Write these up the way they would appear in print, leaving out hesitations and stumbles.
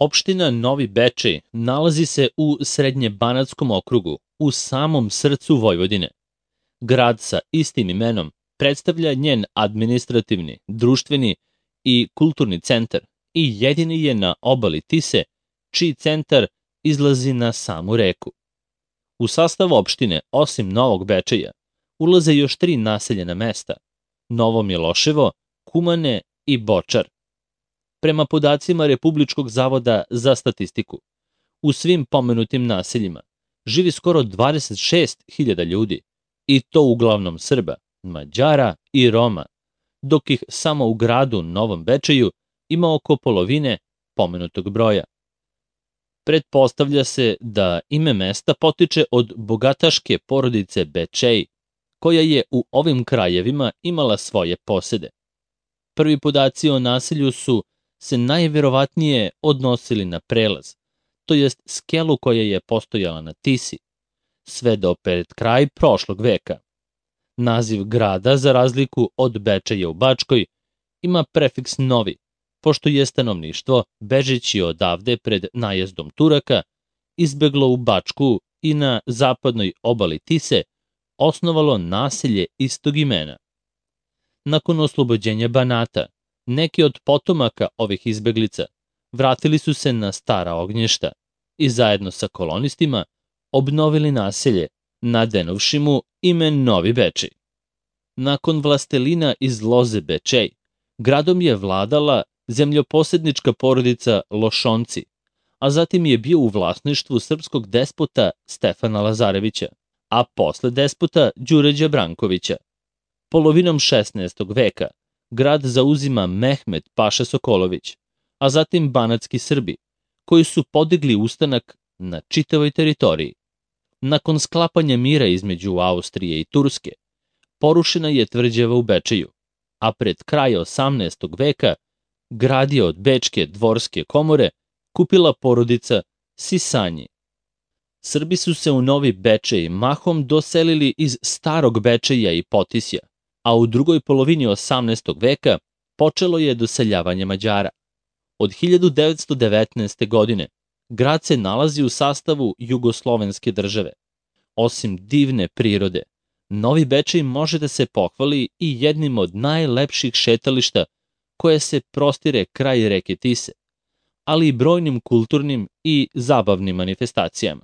Opština Novi Bečej nalazi se u Srednjebanatskom okrugu, u samom srcu Vojvodine. Grad sa istim imenom predstavlja njen administrativni, društveni i kulturni centar i jedini je na obali Tise, čiji centar izlazi na samu reku. U sastav opštine, osim Novog Bečeja, ulaze još 3 naseljena mesta: Novo Miloševo, Kumane i Bočar. Prema podacima Republičkog zavoda za statistiku, u svim pomenutim naseljima živi skoro 26.000 ljudi, i to uglavnom Srba, Mađara i Roma, dok ih samo u gradu Novom Bečeju ima oko polovine pomenutog broja. Pretpostavlja se da ime mesta potiče od bogataške porodice Bečej, koja je u ovim krajevima imala svoje posede. Prvi podaci o naselju su se najverovatnije odnosili na prelaz, to jest skelu koja je postojala na Tisi, sve do pred kraj prošlog veka. Naziv grada, za razliku od Bečeja u Bačkoj, ima prefiks novi, pošto je stanovništvo, bežeći odavde pred najezdom Turaka, izbeglo u Bačku i na zapadnoj obali Tise osnovalo naselje istog imena. Nakon oslobođenja Banata, neki od potomaka ovih izbeglica vratili su se na stara ognjišta i zajedno sa kolonistima obnovili naselje, nadenovši mu ime Novi Bečej. Nakon vlastelina iz loze Bečej, gradom je vladala zemljoposednička porodica Lošonci, a zatim je bio u vlasništvu srpskog despota Stefana Lazarevića, a posle despota Đuređa Brankovića. Polovinom 16. veka grad zauzima Mehmet Paša Sokolović, a zatim banatski Srbi, koji su podigli ustanak na čitavoj teritoriji. Nakon sklapanja mira između Austrije i Turske, porušena je tvrđava u Bečeju, a pred kraj 18. veka grad je od Bečke dvorske komore kupila porodica Sisanji. Srbi su se u Novi Bečej mahom doselili iz Starog Bečeja i Potisja, a u drugoj polovini 18. veka počelo je doseljavanje Mađara. Od 1919. godine grad se nalazi u sastavu Jugoslovenske države. Osim divne prirode, Novi Bečej može da se pohvali i jednim od najlepših šetališta koje se prostire kraj reke Tise, ali i brojnim kulturnim i zabavnim manifestacijama.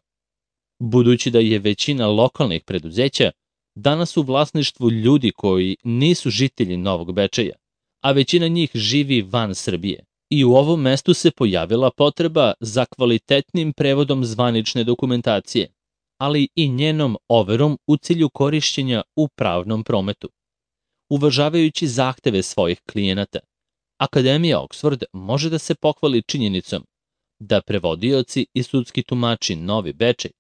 Budući da je većina lokalnih preduzeća danas u vlasništvu ljudi koji nisu žitelji Novog Bečeja, a većina njih živi van Srbije, i u ovom mestu se pojavila potreba za kvalitetnim prevodom zvanične dokumentacije, ali i njenom overom u cilju korišćenja u pravnom prometu. Uvažavajući zahteve svojih klijenata, Akademija Oxford može da se pohvali činjenicom da prevodioci i sudski tumači Novi Bečej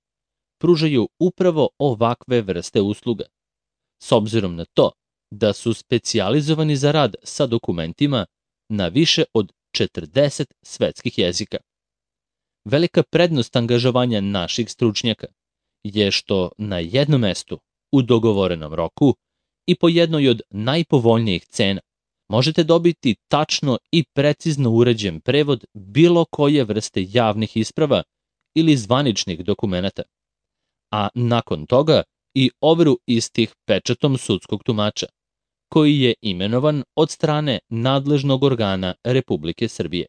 pružaju upravo ovakve vrste usluga, s obzirom na to da su specijalizovani za rad sa dokumentima na više od 40 svetskih jezika. Velika prednost angažovanja naših stručnjaka je što na jednom mestu, u dogovorenom roku i po jednoj od najpovoljnijih cena, možete dobiti tačno i precizno uređen prevod bilo koje vrste javnih isprava ili zvaničnih dokumenata, a nakon toga i overu istih pečatom sudskog tumača, koji je imenovan od strane nadležnog organa Republike Srbije.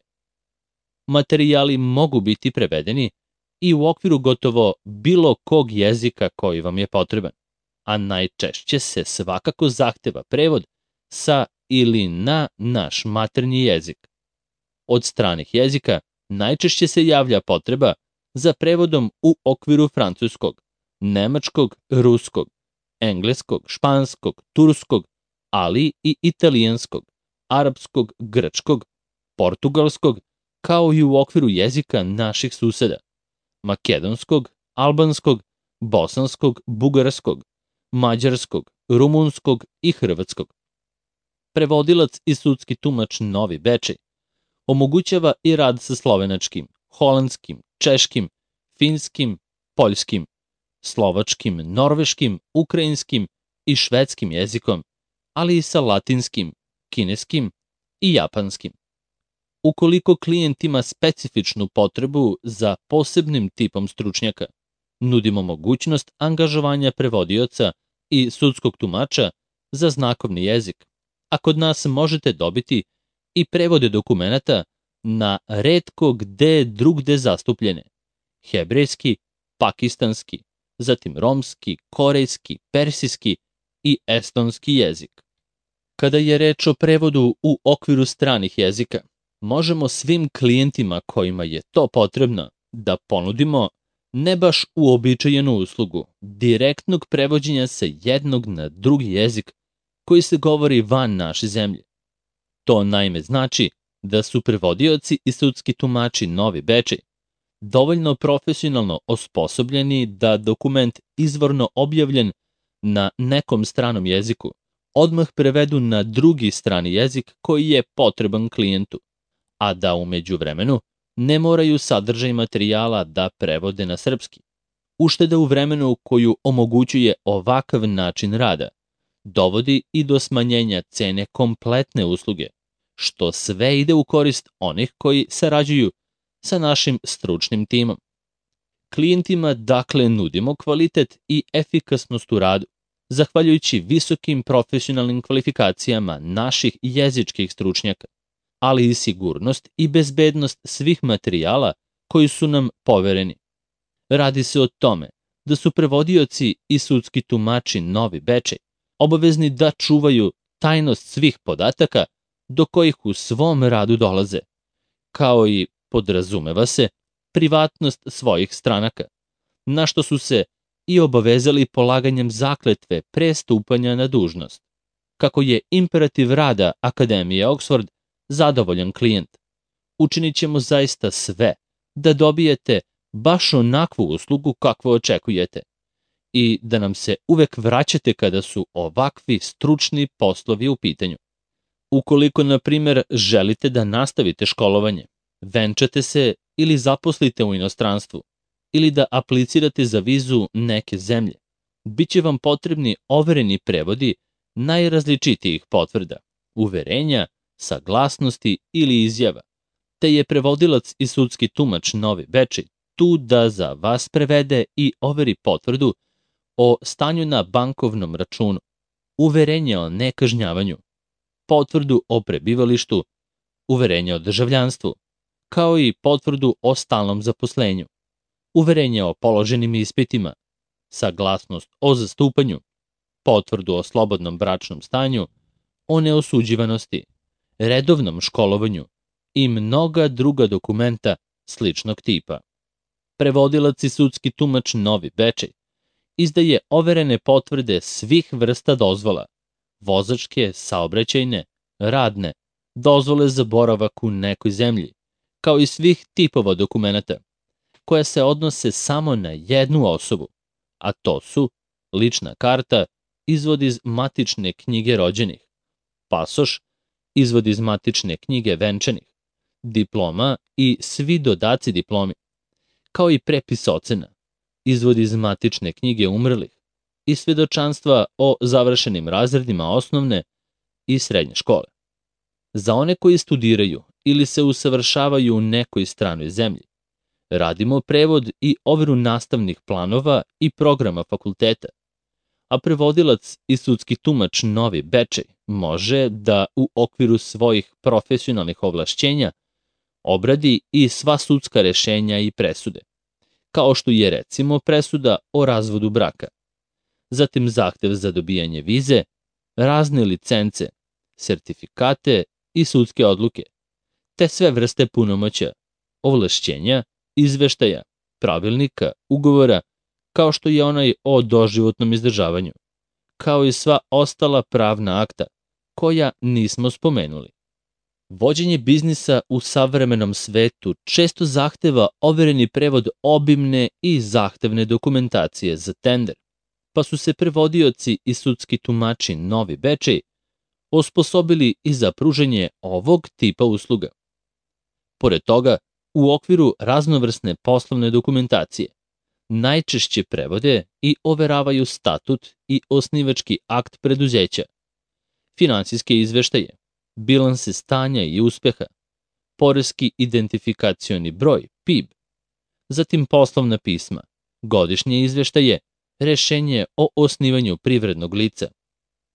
Materijali mogu biti prevedeni i u okviru gotovo bilo kog jezika koji vam je potreban, a najčešće se svakako zahteva prevod sa ili na naš maternji jezik. Od stranih jezika najčešće se javlja potreba za prevodom u okviru francuskog, nemačkog, ruskog, engleskog, španskog, turskog, ali i italijanskog, arapskog, grčkog, portugalskog, kao i u okviru jezika naših suseda: makedonskog, albanskog, bosanskog, bugarskog, mađarskog, rumunskog i hrvatskog. Prevodilac i sudski tumač Novi Bečej omogućava i rad sa slovenačkim, holandskim, češkim, finskim, poljskim, slovačkim, norveškim, ukrajinskim i švedskim jezikom, ali i sa latinskim, kineskim i japanskim. Ukoliko klijent ima specifičnu potrebu za posebnim tipom stručnjaka, nudimo mogućnost angažovanja prevodioca i sudskog tumača za znakovni jezik, a kod nas možete dobiti i prevode dokumenata na retko gde drugde zastupljene: hebrejski, pakistanski, zatim romski, korejski, persijski i estonski jezik. Kada je reč o prevodu u okviru stranih jezika, možemo svim klijentima kojima je to potrebno da ponudimo ne baš uobičajenu uslugu direktnog prevođenja sa jednog na drugi jezik koji se govori van naše zemlje. To naime znači da su prevodioci i sudski tumači Novi Bečej dovoljno profesionalno osposobljeni da dokument izvorno objavljen na nekom stranom jeziku odmah prevedu na drugi strani jezik koji je potreban klijentu, a da u međuvremenu ne moraju sadržaj materijala da prevode na srpski. Ušteda u vremenu koju omogućuje ovakav način rada dovodi i do smanjenja cene kompletne usluge, što sve ide u korist onih koji sarađuju sa našim stručnim timom. Klijentima dakle nudimo kvalitet i efikasnost u radu, zahvaljujući visokim profesionalnim kvalifikacijama naših jezičkih stručnjaka, ali i sigurnost i bezbednost svih materijala koji su nam povereni. Radi se o tome da su prevodioci i sudski tumači Novi Bečej obavezni da čuvaju tajnost svih podataka do kojih u svom radu dolaze, kao i, podrazumeva se, privatnost svojih stranaka, na što su se i obavezali polaganjem zakletve pre stupanja na dužnost. Kako je imperativ rada Akademije Oxford zadovoljan klijent, učinit ćemo zaista sve da dobijete baš onakvu uslugu kakvu očekujete i da nam se uvek vraćate kada su ovakvi stručni poslovi u pitanju. Ukoliko, na primer, želite da nastavite školovanje, venčate se ili zaposlite u inostranstvu, ili da aplicirate za vizu neke zemlje, bit će vam potrebni overeni prevodi najrazličitijih potvrda, uverenja, saglasnosti ili izjava, te je prevodilac i sudski tumač Novi Bečej tu da za vas prevede i overi potvrdu o stanju na bankovnom računu, uverenje o nekažnjavanju, potvrdu o prebivalištu, uverenje o državljanstvu, kao i potvrdu o stalnom zaposlenju, uverenje o položenim ispitima, saglasnost o zastupanju, potvrdu o slobodnom bračnom stanju, o neosuđivanosti, redovnom školovanju i mnoga druga dokumenta sličnog tipa. Prevodilac i sudski tumač Novi Bečej izdaje overene potvrde svih vrsta dozvola: vozačke, saobraćajne, radne, dozvole za boravak u nekoj zemlji, kao i svih tipova dokumenata koja se odnose samo na jednu osobu, a to su lična karta, izvod iz matične knjige rođenih, pasoš, izvod iz matične knjige venčanih, diploma i svi dodaci diplomi, kao i prepis ocena, izvod iz matične knjige umrlih i svedočanstva o završenim razredima osnovne i srednje škole. Za one koji studiraju ili se usavršavaju u nekoj stranoj zemlji, radimo prevod i overu nastavnih planova i programa fakulteta, a prevodilac i sudski tumač Novi Bečej može da u okviru svojih profesionalnih ovlašćenja obradi i sva sudska rešenja i presude, kao što je recimo presuda o razvodu braka, zatim zahtev za dobijanje vize, razne licence, sertifikate i sudske odluke, te sve vrste punomoćja, ovlašćenja, izveštaja, pravilnika, ugovora, kao što je onaj o doživotnom izdržavanju, kao i sva ostala pravna akta koja nismo spomenuli. Vođenje biznisa u savremenom svetu često zahteva overeni prevod obimne i zahtevne dokumentacije za tender, pa su se prevodioci i sudski tumači Novi Bečej osposobili i za pružanje ovog tipa usluga. Pored toga, u okviru raznovrsne poslovne dokumentacije, najčešće prevode i overavaju statut i osnivački akt preduzeća, finansijske izveštaje, bilanse stanja i uspeha, poreski identifikacioni broj, PIB, zatim poslovna pisma, godišnje izveštaje, rešenje o osnivanju privrednog lica,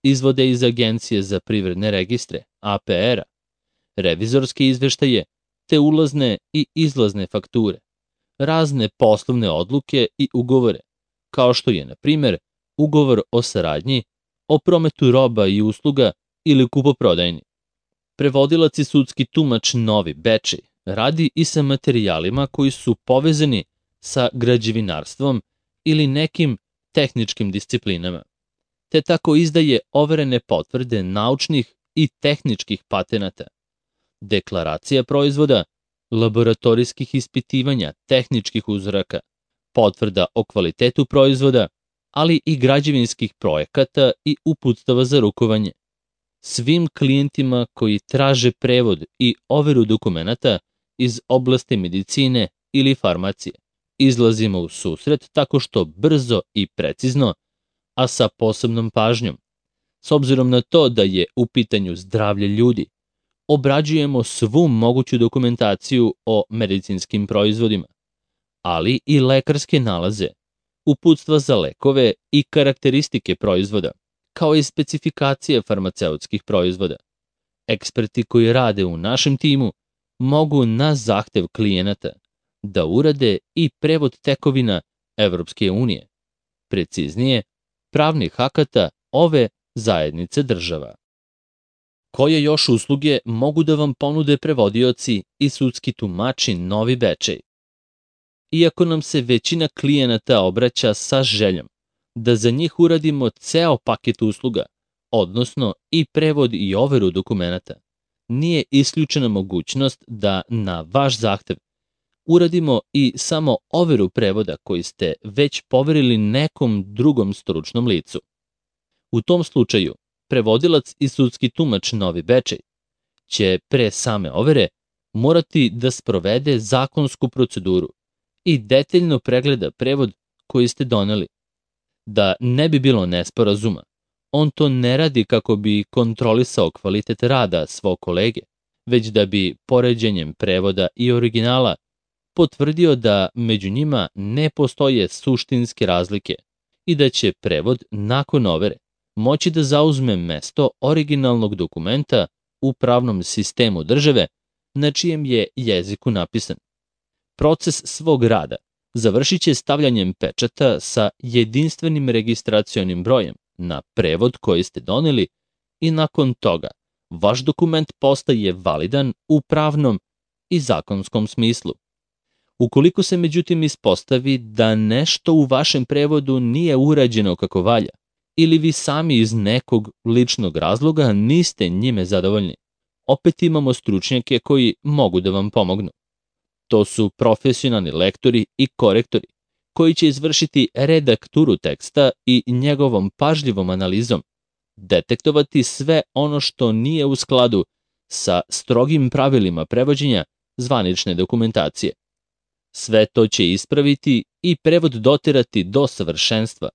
izvode iz Agencije za privredne registre, APR-a, revizorske izveštaje, te ulazne i izlazne fakture, razne poslovne odluke i ugovore, kao što je, na primer, ugovor o saradnji, o prometu roba i usluga ili kupoprodajni. Prevodilac i sudski tumač Novi Bečej radi i sa materijalima koji su povezani sa građevinarstvom ili nekim tehničkim disciplinama, te tako izdaje overene potvrde naučnih i tehničkih patenata, deklaracija proizvoda, laboratorijskih ispitivanja tehničkih uzoraka, potvrda o kvalitetu proizvoda, ali i građevinskih projekata i uputstava za rukovanje. Svim klijentima koji traže prevod i overu dokumenata iz oblasti medicine ili farmacije izlazimo u susret tako što brzo i precizno, a sa posebnom pažnjom, s obzirom na to da je u pitanju zdravlje ljudi, obrađujemo svu moguću dokumentaciju o medicinskim proizvodima, ali i lekarske nalaze, uputstva za lekove i karakteristike proizvoda, kao i specifikacije farmaceutskih proizvoda. Eksperti koji rade u našem timu mogu na zahtev klijenata da urade i prevod tekovina Evropske unije, preciznije, pravnih akata ove zajednice država. Koje još usluge mogu da vam ponude prevodioci i sudski tumači Novi Bečej? Iako nam se većina klijenata obraća sa željom da za njih uradimo ceo paket usluga, odnosno i prevod i overu dokumenata, nije isključena mogućnost da na vaš zahtev uradimo i samo overu prevoda koji ste već poverili nekom drugom stručnom licu. U tom slučaju, prevodilac i sudski tumač Novi Bečej će pre same overe morati da sprovede zakonsku proceduru i detaljno pregleda prevod koji ste doneli. Da ne bi bilo nesporazuma, on to ne radi kako bi kontrolisao kvalitet rada svog kolege, već da bi poređenjem prevoda i originala potvrdio da među njima ne postoje suštinske razlike i da će prevod nakon overe moći da zauzme mesto originalnog dokumenta u pravnom sistemu države na čijem je jeziku napisan. Proces svog rada završit će stavljanjem pečata sa jedinstvenim registracionim brojem na prevod koji ste doneli i nakon toga vaš dokument postaje validan u pravnom i zakonskom smislu. Ukoliko se međutim ispostavi da nešto u vašem prevodu nije urađeno kako valja, ili vi sami iz nekog ličnog razloga niste njime zadovoljni, opet imamo stručnjake koji mogu da vam pomognu. To su profesionalni lektori i korektori, koji će izvršiti redakturu teksta i njegovom pažljivom analizom detektovati sve ono što nije u skladu sa strogim pravilima prevođenja zvanične dokumentacije. Sve to će ispraviti i prevod doterati do savršenstva,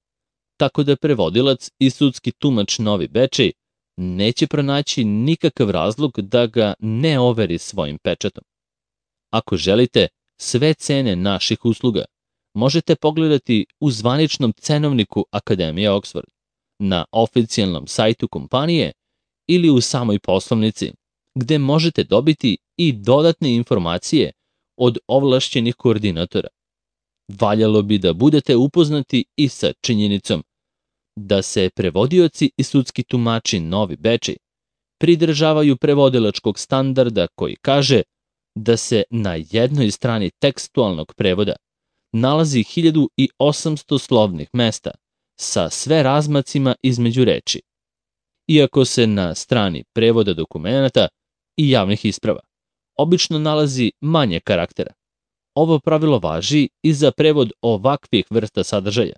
tako da prevodilac i sudski tumač Novi Bečej neće pronaći nikakav razlog da ga ne overi svojim pečatom. Ako želite sve cene naših usluga, možete pogledati u zvaničnom cenovniku Akademije Oxford, na oficijalnom sajtu kompanije ili u samoj poslovnici, gde možete dobiti i dodatne informacije od ovlašćenih koordinatora. Valjalo bi da budete upoznati i sa činjenicom da se prevodioci i sudski tumači Novi Bečej pridržavaju prevodilačkog standarda koji kaže da se na jednoj strani tekstualnog prevoda nalazi 1800 slovnih mesta sa sve razmacima između reči, iako se na strani prevoda dokumenata i javnih isprava obično nalazi manje karaktera. Ovo pravilo važi i za prevod ovakvih vrsta sadržaja,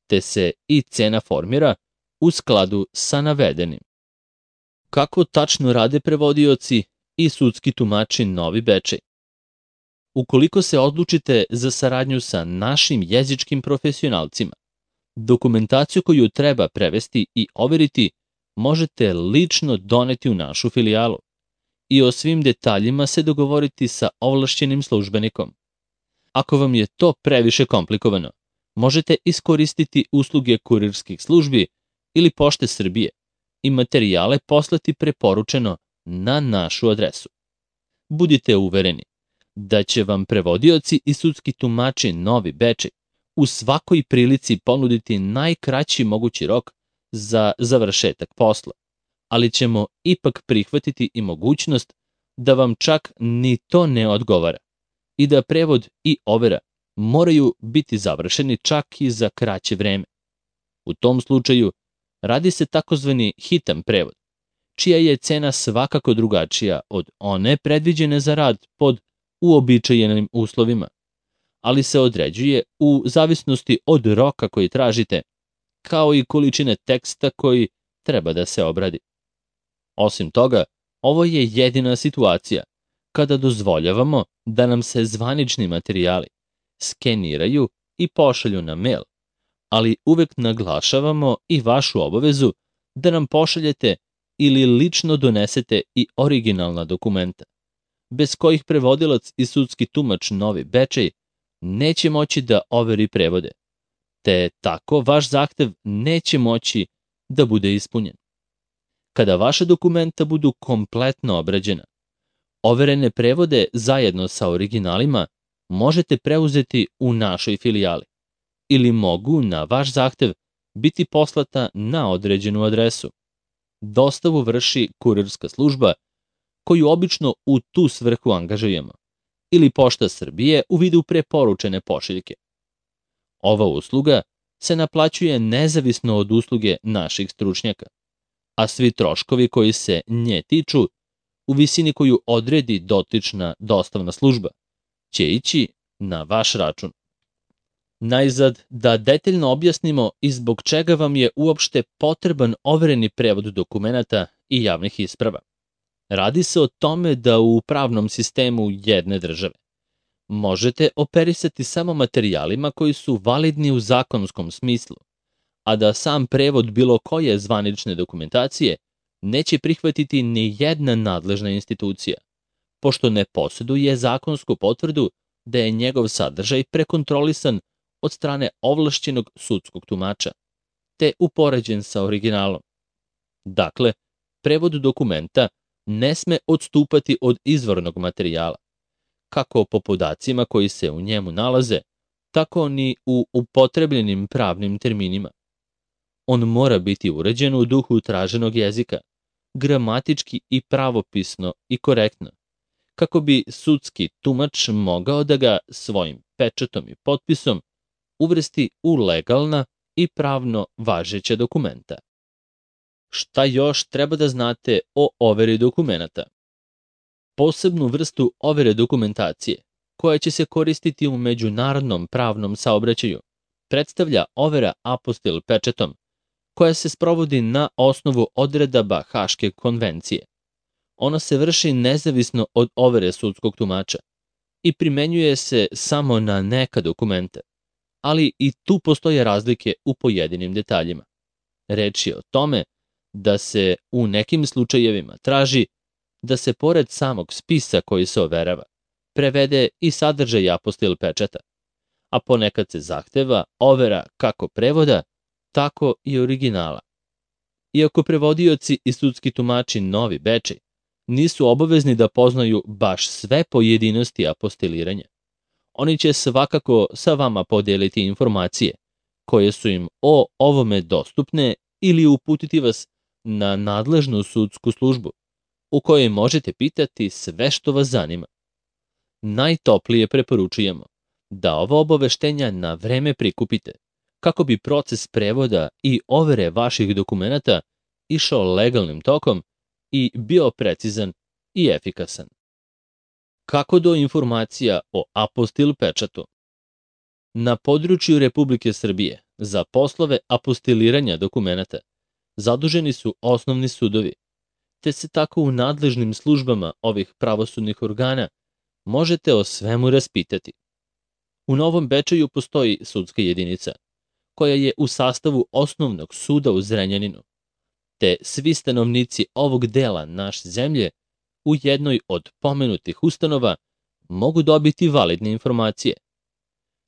te se i cena formira u skladu sa navedenim. Kako tačno rade prevodioci i sudski tumači Novi Bečej? Ukoliko se odlučite za saradnju sa našim jezičkim profesionalcima, dokumentaciju koju treba prevesti i overiti možete lično doneti u našu filijalu i o svim detaljima se dogovoriti sa ovlašćenim službenikom. Ako vam je to previše komplikovano, možete iskoristiti usluge kurirskih službi ili Pošte Srbije i materijale poslati preporučeno na našu adresu. Budite uvereni da će vam prevodioci i sudski tumači Novi Bečej u svakoj prilici ponuditi najkraći mogući rok za završetak posla, ali ćemo ipak prihvatiti i mogućnost da vam čak ni to ne odgovara i da prevod i overa moraju biti završeni čak i za kraće vreme. U tom slučaju radi se takozvani hitan prevod, čija je cena svakako drugačija od one predviđene za rad pod uobičajenim uslovima, ali se određuje u zavisnosti od roka koji tražite, kao i količine teksta koji treba da se obradi. Osim toga, ovo je jedina situacija kada dozvoljavamo da nam se zvanični materijali skeniraju i pošalju na mail, ali uvek naglašavamo i vašu obavezu da nam pošaljete ili lično donesete i originalna dokumenta, bez kojih prevodilac i sudski tumač Novi Bečej neće moći da overi prevode, te tako vaš zahtev neće moći da bude ispunjen. Kada vaša dokumenta budu kompletno obrađena, overene prevode zajedno sa originalima možete preuzeti u našoj filijali ili mogu na vaš zahtev biti poslata na određenu adresu. Dostavu vrši kurirska služba koju obično u tu svrhu angažujemo ili Pošta Srbije u vidu preporučene pošiljke. Ova usluga se naplaćuje nezavisno od usluge naših stručnjaka, a svi troškovi koji se nje tiču u visini koju odredi dotična dostavna služba će ići na vaš račun. Najzad, da detaljno objasnimo i zbog čega vam je uopšte potreban overeni prevod dokumenata i javnih isprava. Radi se o tome da u pravnom sistemu jedne države možete operisati samo materijalima koji su validni u zakonskom smislu, a da sam prevod bilo koje zvanične dokumentacije neće prihvatiti ni jedna nadležna institucija, pošto ne posjeduje zakonsku potvrdu da je njegov sadržaj prekontrolisan od strane ovlašćenog sudskog tumača, te upoređen sa originalom. Dakle, prevod dokumenta ne sme odstupati od izvornog materijala, kako po podacima koji se u njemu nalaze, tako ni u upotrebljenim pravnim terminima. On mora biti uređen u duhu traženog jezika, gramatički i pravopisno i korektno, kako bi sudski tumač mogao da ga svojim pečatom i potpisom uvrsti u legalna i pravno važeća dokumenta. Šta još treba da znate o overi dokumenata? Posebnu vrstu overe dokumentacije, koja će se koristiti u međunarodnom pravnom saobraćaju, predstavlja overa apostil pečatom, koja se sprovodi na osnovu odredaba Haške konvencije. Ona se vrši nezavisno od overe sudskog tumača i primenjuje se samo na neka dokumenta, ali i tu postoje razlike u pojedinim detaljima. Reč je o tome da se u nekim slučajevima traži da se pored samog spisa koji se overava, prevede i sadržaj apostil pečata, a ponekad se zahteva overa kako prevoda, tako i originala. Iako prevodioci i sudski tumači Novi Bečej nisu obavezni da poznaju baš sve pojedinosti apostiliranja, oni će svakako sa vama podeliti informacije koje su im o ovome dostupne ili uputiti vas na nadležnu sudsku službu u kojoj možete pitati sve što vas zanima. Najtoplije preporučujemo da ova obaveštenja na vreme prikupite kako bi proces prevoda i overe vaših dokumenata išao legalnim tokom i bio precizan i efikasan. Kako do informacija o apostil pečatu? Na području Republike Srbije za poslove apostiliranja dokumenata zaduženi su osnovni sudovi, te se tako u nadležnim službama ovih pravosudnih organa možete o svemu raspitati. U Novom Bečeju postoji sudska jedinica, koja je u sastavu osnovnog suda u Zrenjaninu, te svi stanovnici ovog dela naše zemlje u jednoj od pomenutih ustanova mogu dobiti validne informacije.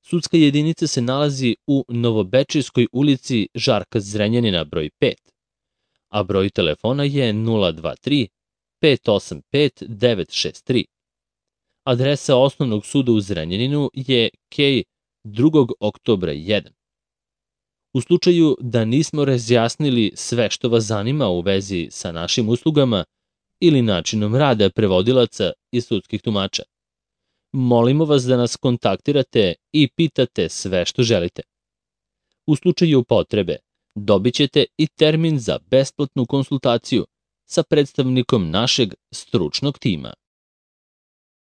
Sudska jedinica se nalazi u Novobečejskoj ulici Žarka Zrenjanina broj 5, a broj telefona je 023 585 963. Adresa Osnovnog suda u Zrenjaninu je Kej 2. oktobra 1. U slučaju da nismo razjasnili sve što vas zanima u vezi sa našim uslugama ili načinom rada prevodilaca i sudskih tumača, molimo vas da nas kontaktirate i pitate sve što želite. U slučaju potrebe dobit ćete i termin za besplatnu konsultaciju sa predstavnikom našeg stručnog tima.